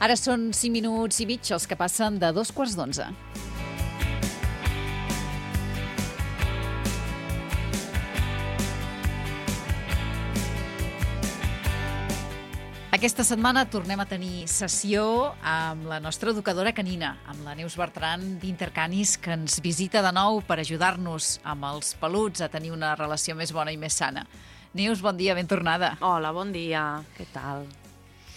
Ara són 5 minuts i mig els que passen de 2:15. Aquesta setmana tornem a tenir sessió amb la nostra educadora canina, amb la Neus Bertran d'Intercanis, que ens visita de nou per ajudar-nos amb els peluts a tenir una relació més bona i més sana. Neus, bon dia, ben tornada. Hola, bon dia. Què tal?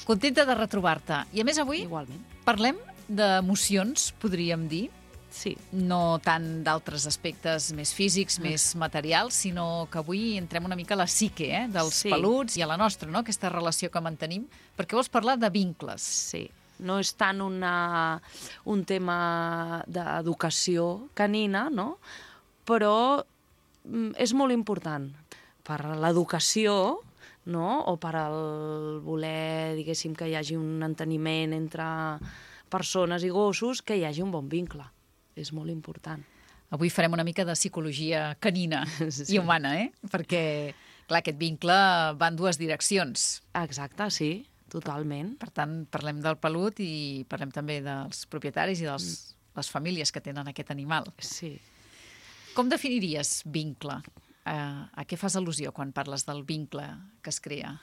Contenta de retrobar-te. I a més avui Igualment. parlem d'emocions, podríem dir. Sí. No tant d'altres aspectes més físics, més materials, sinó que avui entrem una mica a la psique dels peluts i a la nostra, no? Aquesta relació que mantenim, perquè vols parlar de vincles. Sí. No és tant un tema d'educació canina, no? Però és molt important per l'educació, no? O per el voler, diguéssim, que hi hagi un enteniment entre persones i gossos, que hi hagi un bon vincle. És molt important. Avui farem una mica de psicologia canina i humana, Perquè, clar, aquest vincle va en dues direccions. Exacte, sí, totalment. Per tant, parlem del pelut i parlem també dels propietaris i de les famílies que tenen aquest animal. Sí. Com definiries vincle? A què fas al·lusió quan parles del vincle que es crea?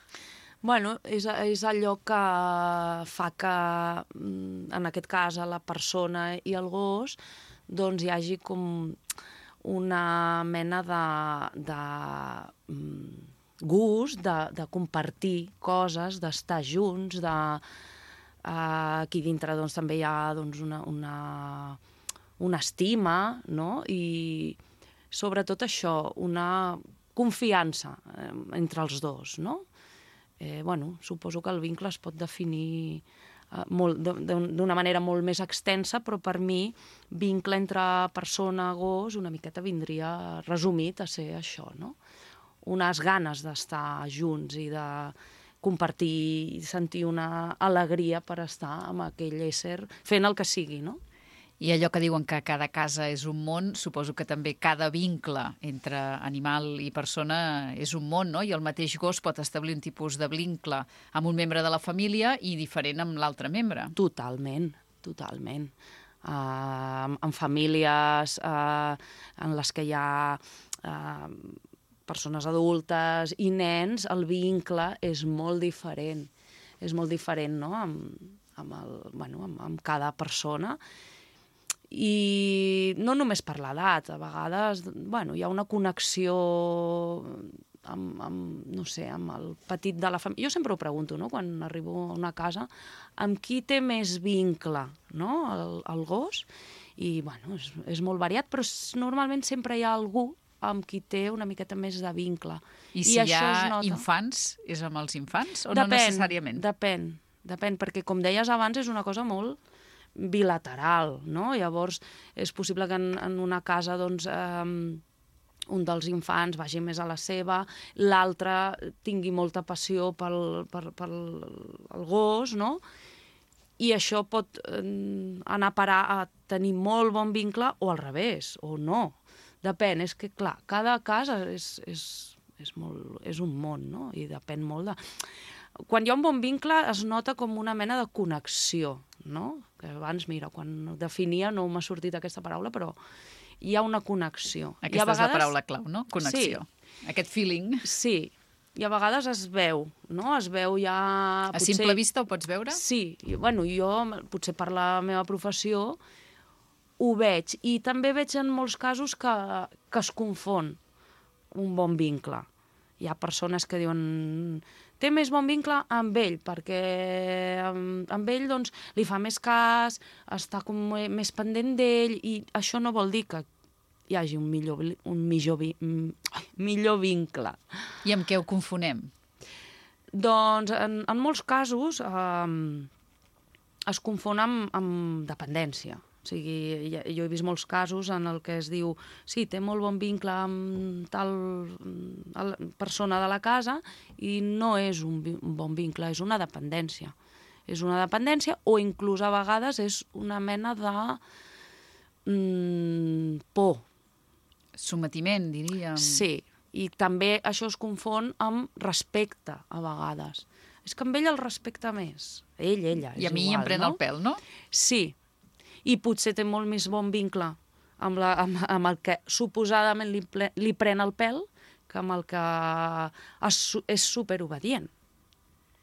Bueno, és allò que fa que, en aquest cas, a la persona i el gos, doncs hi hagi com una mena de gust, de compartir coses, d'estar junts, aquí dintre doncs, també hi ha doncs, una estima, no? I sobretot això, una confiança entre els dos, no? Bueno, suposo que el vincle es pot definir d'una manera molt més extensa, però per mi vincle entre persona-gos una miqueta vindria resumit a ser això, no? Unes ganes d'estar junts i de compartir i sentir una alegria per estar amb aquell ésser fent el que sigui, no? I allò que diuen que cada casa és un món, suposo que també cada vincle entre animal i persona és un món, no? I el mateix gos pot establir un tipus de vincle amb un membre de la família i diferent amb l'altre membre. Totalment, totalment. En famílies en les que hi ha persones adultes i nens, el vincle és molt diferent. És molt diferent, no?, amb cada persona. I no només per l'edat, a vegades hi ha una connexió amb el petit de la família. Jo sempre ho pregunto, no?, quan arribo a una casa, amb qui té més vincle, no?, el gos. I és molt variat, però normalment sempre hi ha algú amb qui té una miqueta més de vincle. I si hi ha infants, és amb els infants o no necessàriament? Depèn, perquè com deies abans és una cosa molt bilateral, no? Llavors és possible que en una casa doncs, un dels infants vagi més a la seva, l'altre tingui molta passió pel gos, no? I això pot anar a parar a tenir molt bon vincle o al revés, o no. Depèn, és que clar, cada cas és un món, no? I depèn molt de... Quan hi ha un bon vincle es nota com una mena de connexió, no? Que abans, mira, quan ho definia no m'ha sortit aquesta paraula, però hi ha una connexió. Aquesta és la paraula clau, no? Connexió. Sí. Aquest feeling. Sí, i a vegades es veu, no? Es veu ja... A simple vista ho pots veure? Sí, jo potser per la meva professió ho veig, i també veig en molts casos que es confon un bon vincle. Hi ha persones que diuen té més bon vincle amb ell, perquè amb ell doncs, li fa més cas, està com més pendent d'ell, i això no vol dir que hi hagi un millor vincle. I amb què ho confonem? Doncs en molts casos es confon amb dependència. O sigui, jo he vist molts casos en el que es diu sí, té molt bon vincle amb tal persona de la casa i no és un bon vincle, és una dependència. És una dependència o inclús a vegades és una mena de por. Sometiment, diríem. Sí, i també això es confon amb respecte a vegades. És que amb ell el respecta més. Ella, és I a mi igual, em pren no? el pèl, no? Sí, i potser té molt més bon vincle amb el que suposadament li pren el pèl que amb el que és superobedient,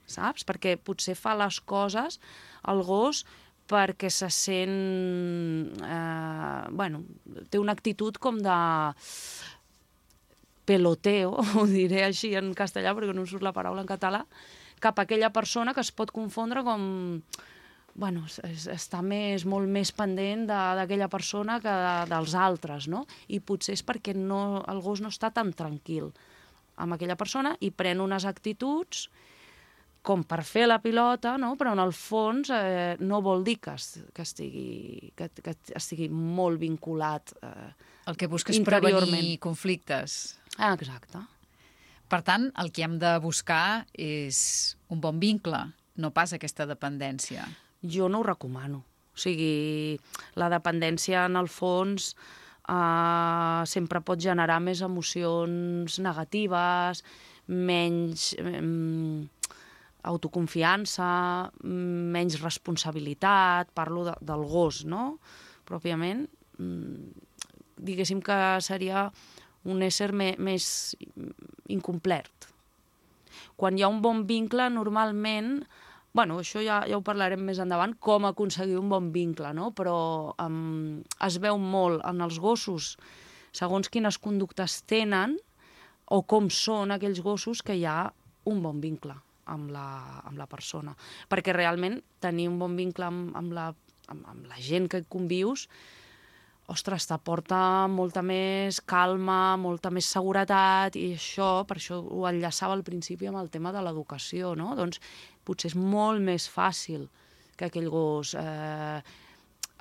saps? Perquè potser fa les coses, el gos, perquè se sent... té una actitud com de peloteo, ho diré així en castellà perquè no em surt la paraula en català, cap a aquella persona que es pot confondre com... està molt més pendent d'aquella persona que dels altres, no? I potser és perquè el gos no està tan tranquil amb aquella persona i pren unes actituds com per fer la pilota, no? Però en el fons no vol dir que estigui molt vinculat El que busca és interiorment. prevenir conflictes. Ah, exacte. Per tant, el que hem de buscar és un bon vincle, no pas aquesta dependència. Jo no ho recomano. O sigui, la dependència, en el fons, sempre pot generar més emocions negatives, menys autoconfiança, menys responsabilitat, parlo del gos, no? Pròpiament, diguéssim que seria un ésser més incomplet. Quan hi ha un bon vincle, normalment... això ja ho parlarem més endavant, com aconseguir un bon vincle, no? Però es veu molt en els gossos, segons quines conductes tenen o com són aquells gossos, que hi ha un bon vincle amb la persona. Perquè realment tenir un bon vincle amb la gent que convius, ostres, t'aporta molta més calma, molta més seguretat, i per això ho enllaçava al principi amb el tema de l'educació, no? Doncs potser és molt més fàcil que aquell gos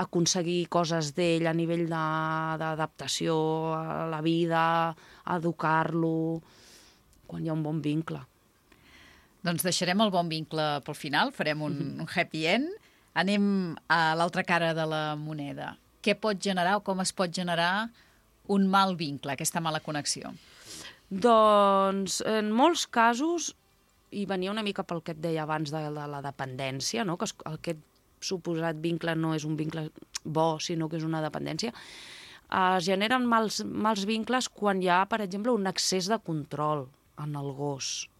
aconseguir coses d'ell a nivell d'adaptació a la vida, educar-lo, quan hi ha un bon vincle. Doncs deixarem el bon vincle pel final, farem un happy end. Anem a l'altra cara de la moneda. Què pot generar o com es pot generar un mal vincle, aquesta mala connexió? Doncs, en molts casos, i venia una mica pel que et deia abans de la dependència, no? Que aquest suposat vincle no és un vincle bo, sinó que és una dependència, es generen mals vincles quan hi ha, per exemple, un excés de control en el gos.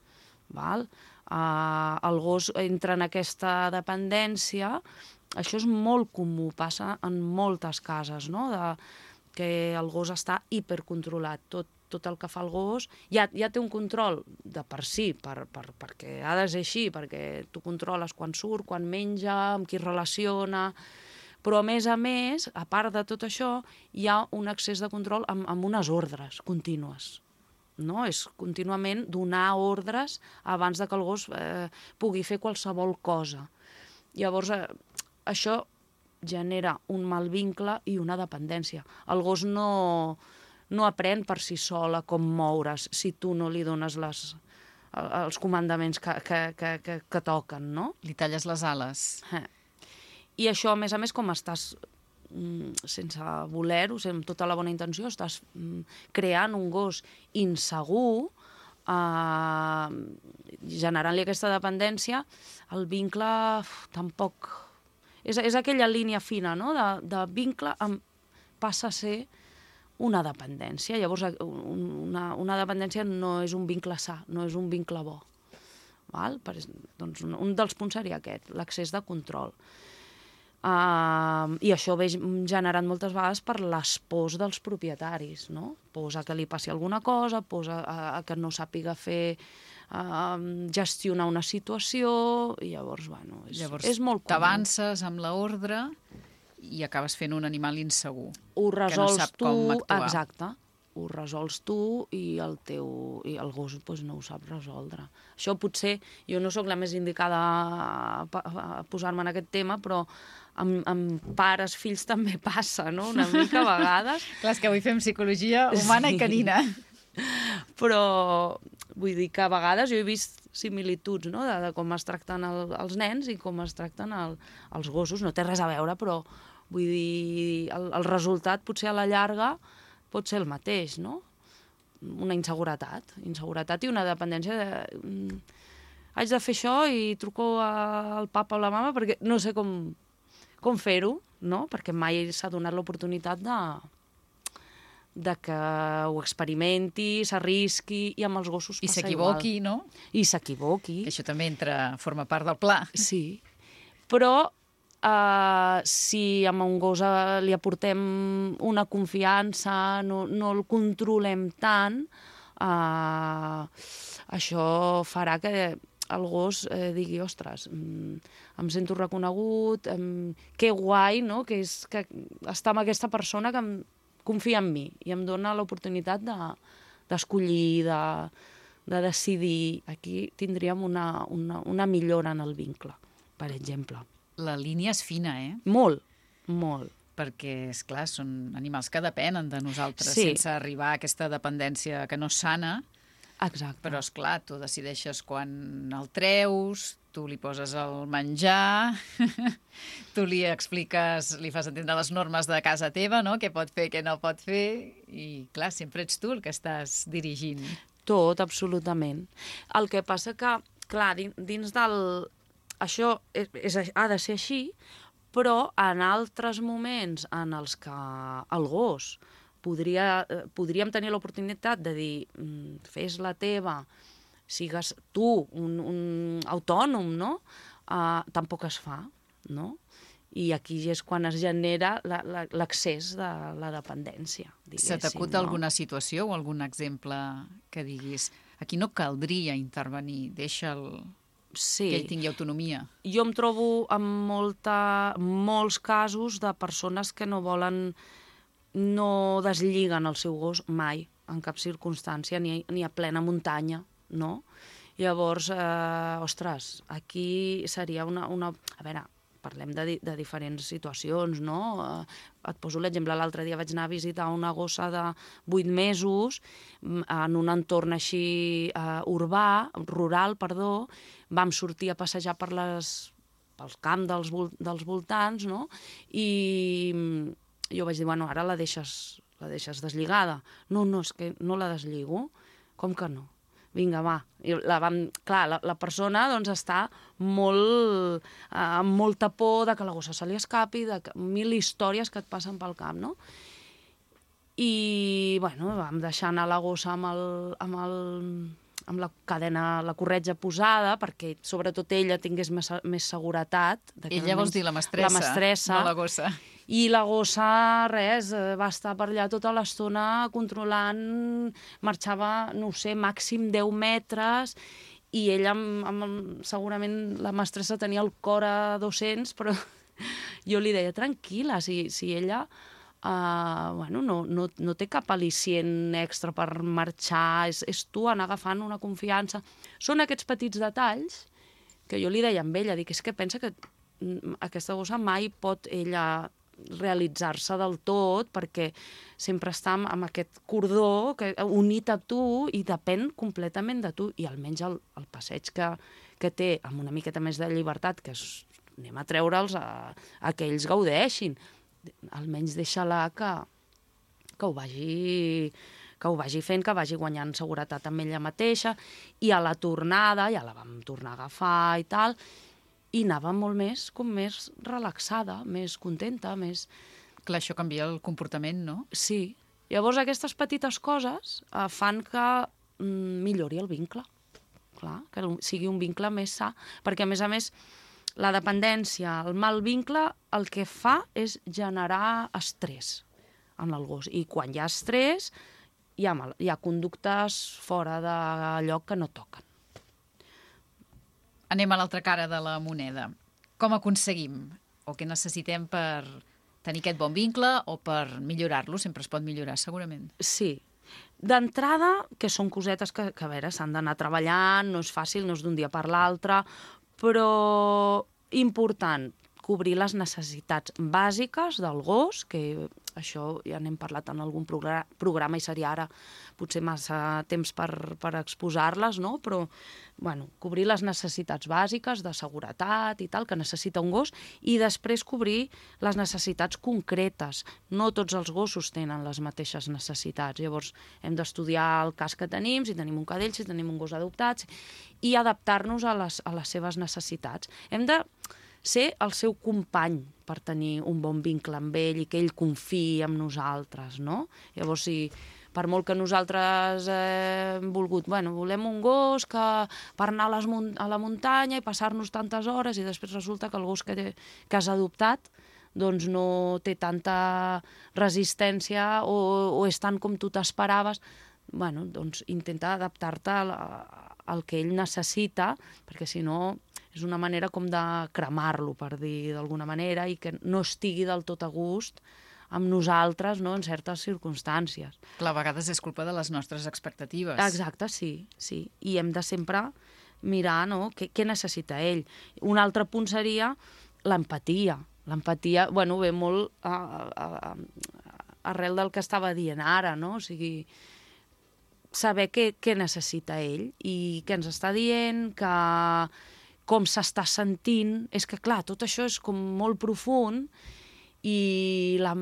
Val? El gos entra en aquesta dependència. Això és molt comú, passa en moltes cases, no? Que el gos està hipercontrolat. Tot el que fa el gos ja té un control de per si, perquè ha de ser així, perquè tu controles quan surt, quan menja, amb qui es relaciona, però a més, a part de tot això, hi ha un excés de control amb unes ordres contínues. No? És contínuament donar ordres abans de que el gos pugui fer qualsevol cosa. Llavors, això genera un mal vincle i una dependència. El gos no aprèn per si sol a com moure's si tu no li dones els comandaments que toquen, no? Li talles les ales. I això, a més, com estàs sense voler-ho, amb tota la bona intenció, estàs creant un gos insegur, generant-li aquesta dependència, el vincle tampoc... És aquella línia fina, no?, de vincle passa a ser una dependència. Llavors, una dependència no és un vincle sa, no és un vincle bo. Val? Doncs un dels punts seria aquest, l'accés de control. I això ve generat moltes vegades per les pors dels propietaris, no? Pors a que li passi alguna cosa, pors a que no sàpiga gestionar una situació, i llavors, és molt comú. T'avances amb l'ordre i acabes fent un animal insegur. Ho resols que no sap com actuar. Exacte. Ho resols tu i el gos no ho sap resoldre. Això potser, jo no sóc la més indicada a posar-me en aquest tema, però amb pares, fills també passa, no?, una mica a vegades. Clar, és que avui fem psicologia humana i canina. Però vull dir que a vegades jo he vist similituds, no?, de com es tracten els nens i com es tracten els gossos. No té res a veure, però vull dir, el resultat potser a la llarga pot ser el mateix, no? Una inseguretat i una dependència haig de fer això i truco al papa o la mama perquè no sé com fer-ho, no? Perquè mai s'ha donat l'oportunitat de que ho experimenti, s'arrisqui, i amb els gossos passa igual. I s'equivoqui, no? I s'equivoqui. Que això també forma part del pla. Sí, però si amb un gos li aportem una confiança, no el controlem tant, això farà que el gos digui, ostres, em sento reconegut, que guai, no? Que està amb aquesta persona que confia en mi i em dona l'oportunitat d'escollir, de decidir. Aquí tindríem una millora en el vincle, per exemple. La línia és fina, Molt, molt. Perquè, esclar, són animals que depenen de nosaltres, sí, sense arribar a aquesta dependència que no és sana. Exacte. Però, esclar, tu decideixes quan el treus, tu li poses el menjar, tu li expliques, li fas entendre les normes de casa teva, no? Què pot fer, què no pot fer, i, clar, sempre ets tu el que estàs dirigint. Tot, absolutament. El que passa que, clar, dins del... Això ha de ser així, però en altres moments en els que el gos podríem tenir l'oportunitat de dir fes la teva, sigues tu un autònom, no? Tampoc es fa, no? I aquí és quan es genera l'accés de la dependència, diguéssim. Se t'acut alguna situació o algun exemple que diguis aquí no caldria intervenir, deixa'l... Sí. Que ell tingui autonomia. Jo em trobo amb molts casos de persones que no deslliguen el seu gos mai, en cap circumstància, ni a plena muntanya, no? Llavors, ostres, aquí seria una... A veure, parlem de diferents situacions, no? Et poso l'exemple, l'altre dia vaig anar a visitar una gossa de 8 mesos en un entorn així rural, vam sortir a passejar pel camp dels voltants, no? I jo vaig dir, bueno, ara la deixes deslligada. No, és que no la deslligo. Com que no? Vinga, va. I la persona doncs, està amb molta por de que la gossa se li escapi, de mil històries que et passen pel camp, no? I, bueno, vam deixar anar la gossa amb la cadena, la corretja posada, perquè sobretot ella tingués més seguretat. Ella vols dir la mestressa, no la gossa. I la gossa, res, va estar per allà tota l'estona controlant, marxava, no ho sé, màxim 10 metres, i ella, segurament la mestressa tenia el cor a 200, però jo li deia, tranquil·la, si ella no té cap al·licient extra per marxar, és tu anar agafant una confiança. Són aquests petits detalls que jo li deia amb ella, dic, és que pensa que aquesta gossa mai pot ella realitzar-se del tot perquè sempre està amb aquest cordó unit a tu i depèn completament de tu, i almenys el passeig que té amb una miqueta més de llibertat, que anem a treure'ls a que ells gaudeixin, almenys deixa-la que ho vagi fent, que vagi guanyant seguretat amb ella mateixa, i a la tornada ja la vam tornar a agafar i tal, i anava molt més relaxada, més contenta, més... Clar, això canvia el comportament, no? Sí. Llavors aquestes petites coses fan que millori el vincle. Clar, que sigui un vincle més sa, perquè a més la dependència, el mal vincle, el que fa és generar estrès en el gos. I quan hi ha estrès, hi ha conductes fora de lloc que no toquen. Anem a l'altra cara de la moneda. Com aconseguim? O què necessitem per tenir aquest bon vincle o per millorar-lo? Sempre es pot millorar, segurament. Sí. D'entrada, que són cosetes que a veure, s'han d'anar treballant, no és fàcil, no és d'un dia per l'altre, però important, cobrir les necessitats bàsiques del gos, que això ja n'hem parlat en algun programa i seria ara potser massa temps per exposar-les, no? Però bueno, cobrir les necessitats bàsiques de seguretat i tal, que necessita un gos, i després cobrir les necessitats concretes. No tots els gossos tenen les mateixes necessitats. Llavors, hem d'estudiar el cas que tenim, si tenim un cadell, si tenim un gos adoptat, i adaptar-nos a les seves necessitats. Hem de ser el seu company per tenir un bon vincle amb ell i que ell confiï en nosaltres, no? Llavors, si per molt que nosaltres hem volgut, volem un gos per anar a la muntanya i passar-nos tantes hores, i després resulta que el gos que has adoptat doncs no té tanta resistència o és tant com tu t'esperaves, doncs intenta adaptar-te al que ell necessita, perquè si no és una manera com de cremar-lo, per dir d'alguna manera, i que no estigui del tot a gust amb nosaltres, no?, en certes circumstàncies. Clar, a vegades és culpa de les nostres expectatives. Exacte, sí. I hem de sempre mirar, no?, què necessita ell. Un altre punt seria l'empatia. L'empatia, ve molt arrel del que estava dient ara, no? O sigui, saber què necessita ell i què ens està dient, com s'està sentint. És que, clar, tot això és com molt profund i la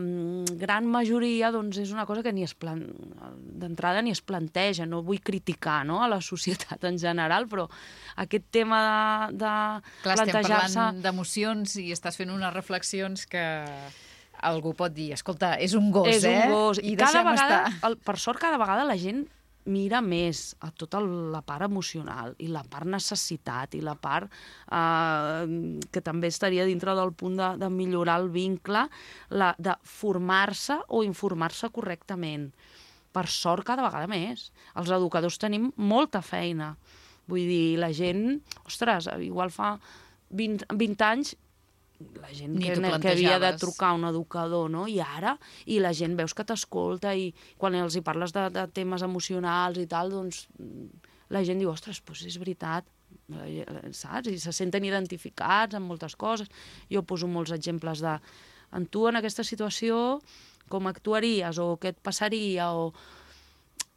gran majoria doncs, és una cosa que d'entrada ni es planteja. No vull criticar, no?, a la societat en general, però aquest tema de plantejar-se... Clar, estem parlant d'emocions i estàs fent unes reflexions que algú pot dir, escolta, és un gos, És un gos. I deixem estar. Per sort, cada vegada la gent mira més a tota la part emocional i la part necessitat i la part que també estaria dintre del punt de millorar el vincle, de formar-se o informar-se correctament. Per sort, cada vegada més. Els educadors tenim molta feina. Vull dir, la gent, ostres, igual fa 20 anys la gent que havia de trucar a un educador, no? I la gent veus que t'escolta i quan els hi parles de temes emocionals i tal, doncs la gent diu, ostres, doncs és veritat, saps? I se senten identificats amb moltes coses. Jo poso molts exemples en tu en aquesta situació, com actuaries o què et passaria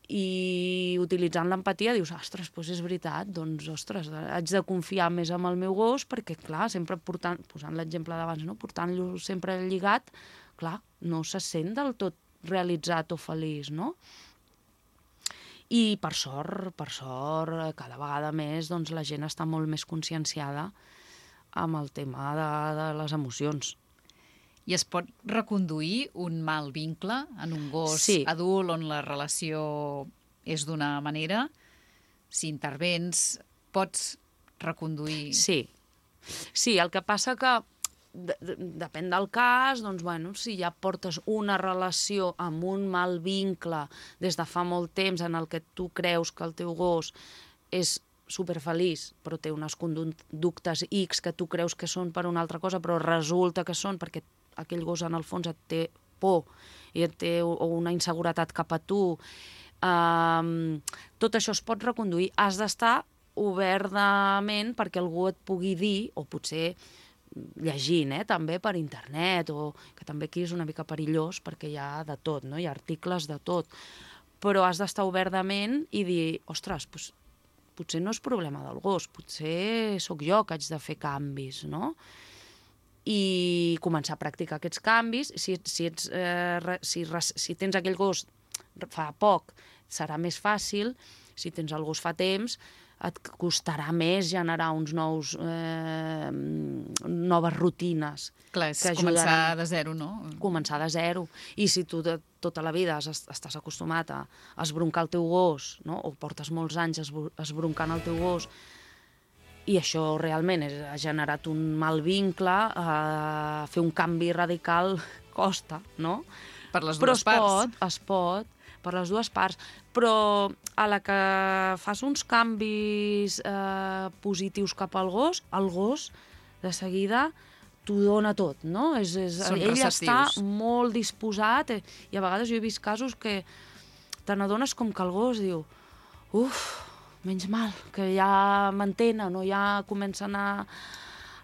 i utilitzant l'empatia dius, ostres, doncs és veritat, doncs, ostres, haig de confiar més en el meu gos perquè, clar, sempre posant l'exemple d'abans, no?, portant-lo sempre lligat, clar, no se sent del tot realitzat o feliç, no? I per sort, cada vegada més, doncs la gent està molt més conscienciada amb el tema de les emocions. I es pot reconduir un mal vincle en un gos adult on la relació és d'una manera? Si intervens, pots reconduir... Sí, el que passa que depèn del cas, doncs, si ja portes una relació amb un mal vincle des de fa molt temps en el que tu creus que el teu gos és superfeliç, però té unes conductes X que tu creus que són per una altra cosa, però resulta que són perquè aquell gos en el fons et té por i et té una inseguretat cap a tu. Tot això es pot reconduir. Has d'estar obert de ment perquè algú et pugui dir, o potser llegint, també per internet, o que també aquí és una mica perillós perquè hi ha de tot, no? Hi ha articles de tot. Però has d'estar obert de ment i dir, ostres, potser no és problema del gos, potser sóc jo que haig de fer canvis, no? I començar a practicar aquests canvis. Si tens aquell gos fa poc, serà més fàcil. Si tens el gos fa temps, et costarà més generar noves rutines. Clar, és començar de zero, no? Començar de zero. I si tu tota la vida estàs acostumat a esbroncar el teu gos, no?, o portes molts anys esbroncant el teu gos, i això realment ha generat un mal vincle, fer un canvi radical costa, no? Per les dues parts. Es pot, per les dues parts. Però a la que fas uns canvis positius cap al gos, el gos de seguida t'ho dona tot, no? Ell està molt disposat, i a vegades jo he vist casos que te n'adones com que el gos diu, menys mal, que ja m'entenen o ja comencen a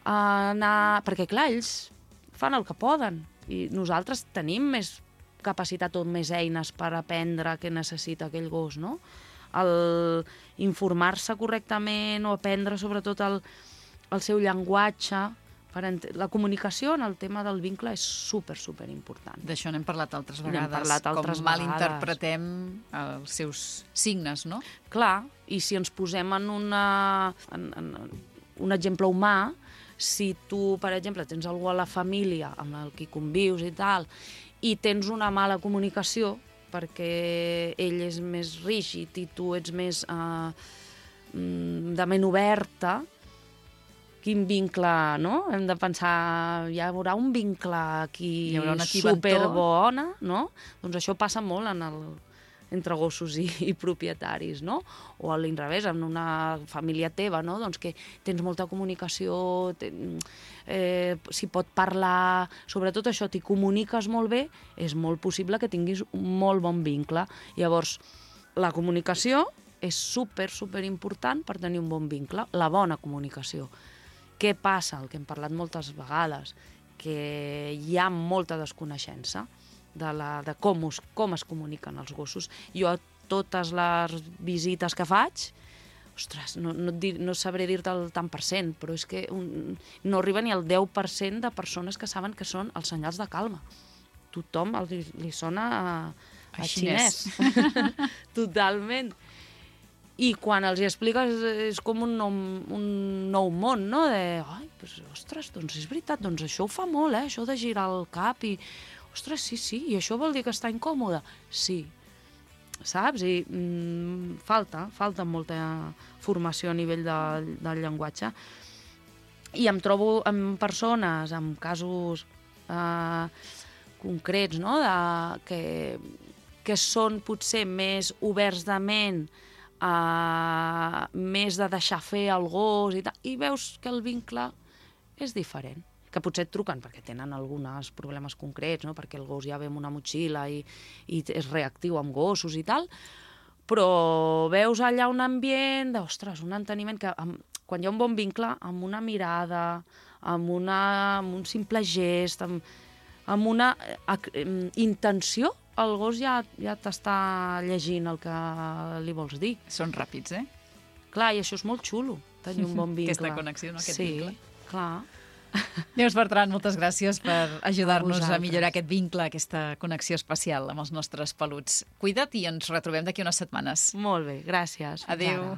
Perquè, clar, ells fan el que poden i nosaltres tenim més capacitat o més eines per aprendre què necessita aquell gos, no? El informar-se correctament o aprendre sobretot el seu llenguatge. La comunicació en el tema del vincle és super important. D'això n'hem parlat altres vegades, com malinterpretem els seus signes, no? Clar, i si ens posem en un exemple humà, si tu, per exemple, tens algú a la família amb el qui convius i tal, i tens una mala comunicació perquè ell és més rígid i tu ets més de ment oberta, quin vincle, no? Hem de pensar, hi haurà un vincle aquí superbona, no? Doncs això passa molt entre gossos i propietaris, no? O a l'inrevés, en una família teva, no? Doncs que tens molta comunicació, si pot parlar, sobretot això, t'hi comuniques molt bé, és molt possible que tinguis un molt bon vincle. Llavors, la comunicació és super important per tenir un bon vincle, la bona comunicació. Què passa? El que hem parlat moltes vegades, que hi ha molta desconeixença de com es comuniquen els gossos. Jo a totes les visites que faig, ostres, no sabré dir-te el tant per cent, però és que no arriba ni al 10% de persones que saben que són els senyals de calma. Tothom li sona a xinès. Totalment. I quan els hi expliques és com un nou món, no? Ostres, doncs és veritat, doncs això ho fa molt, això de girar el cap i... Ostres, sí, i això vol dir que està incòmode? Sí, saps? I falta molta formació a nivell del llenguatge. I em trobo amb persones, amb casos concrets, no? Que són potser més oberts de ment, més de deixar fer el gos i tal, i veus que el vincle és diferent. Que potser et truquen perquè tenen alguns problemes concrets, no? Perquè el gos ja ve amb una motxilla i és reactiu amb gossos i tal, però veus allà un ambient un enteniment que quan hi ha un bon vincle, amb una mirada, amb un simple gest, amb una intenció, el gos ja t'està llegint el que li vols dir. Són ràpids, eh? Clar, i això és molt xulo, tenir un bon vincle. Aquesta connexió, no? Aquest vincle. Sí, clar. Neus Bertran, moltes gràcies per ajudar-nos a millorar aquest vincle, aquesta connexió especial amb els nostres peluts. Cuida't i ens retrobem d'aquí unes setmanes. Molt bé, gràcies. Adéu.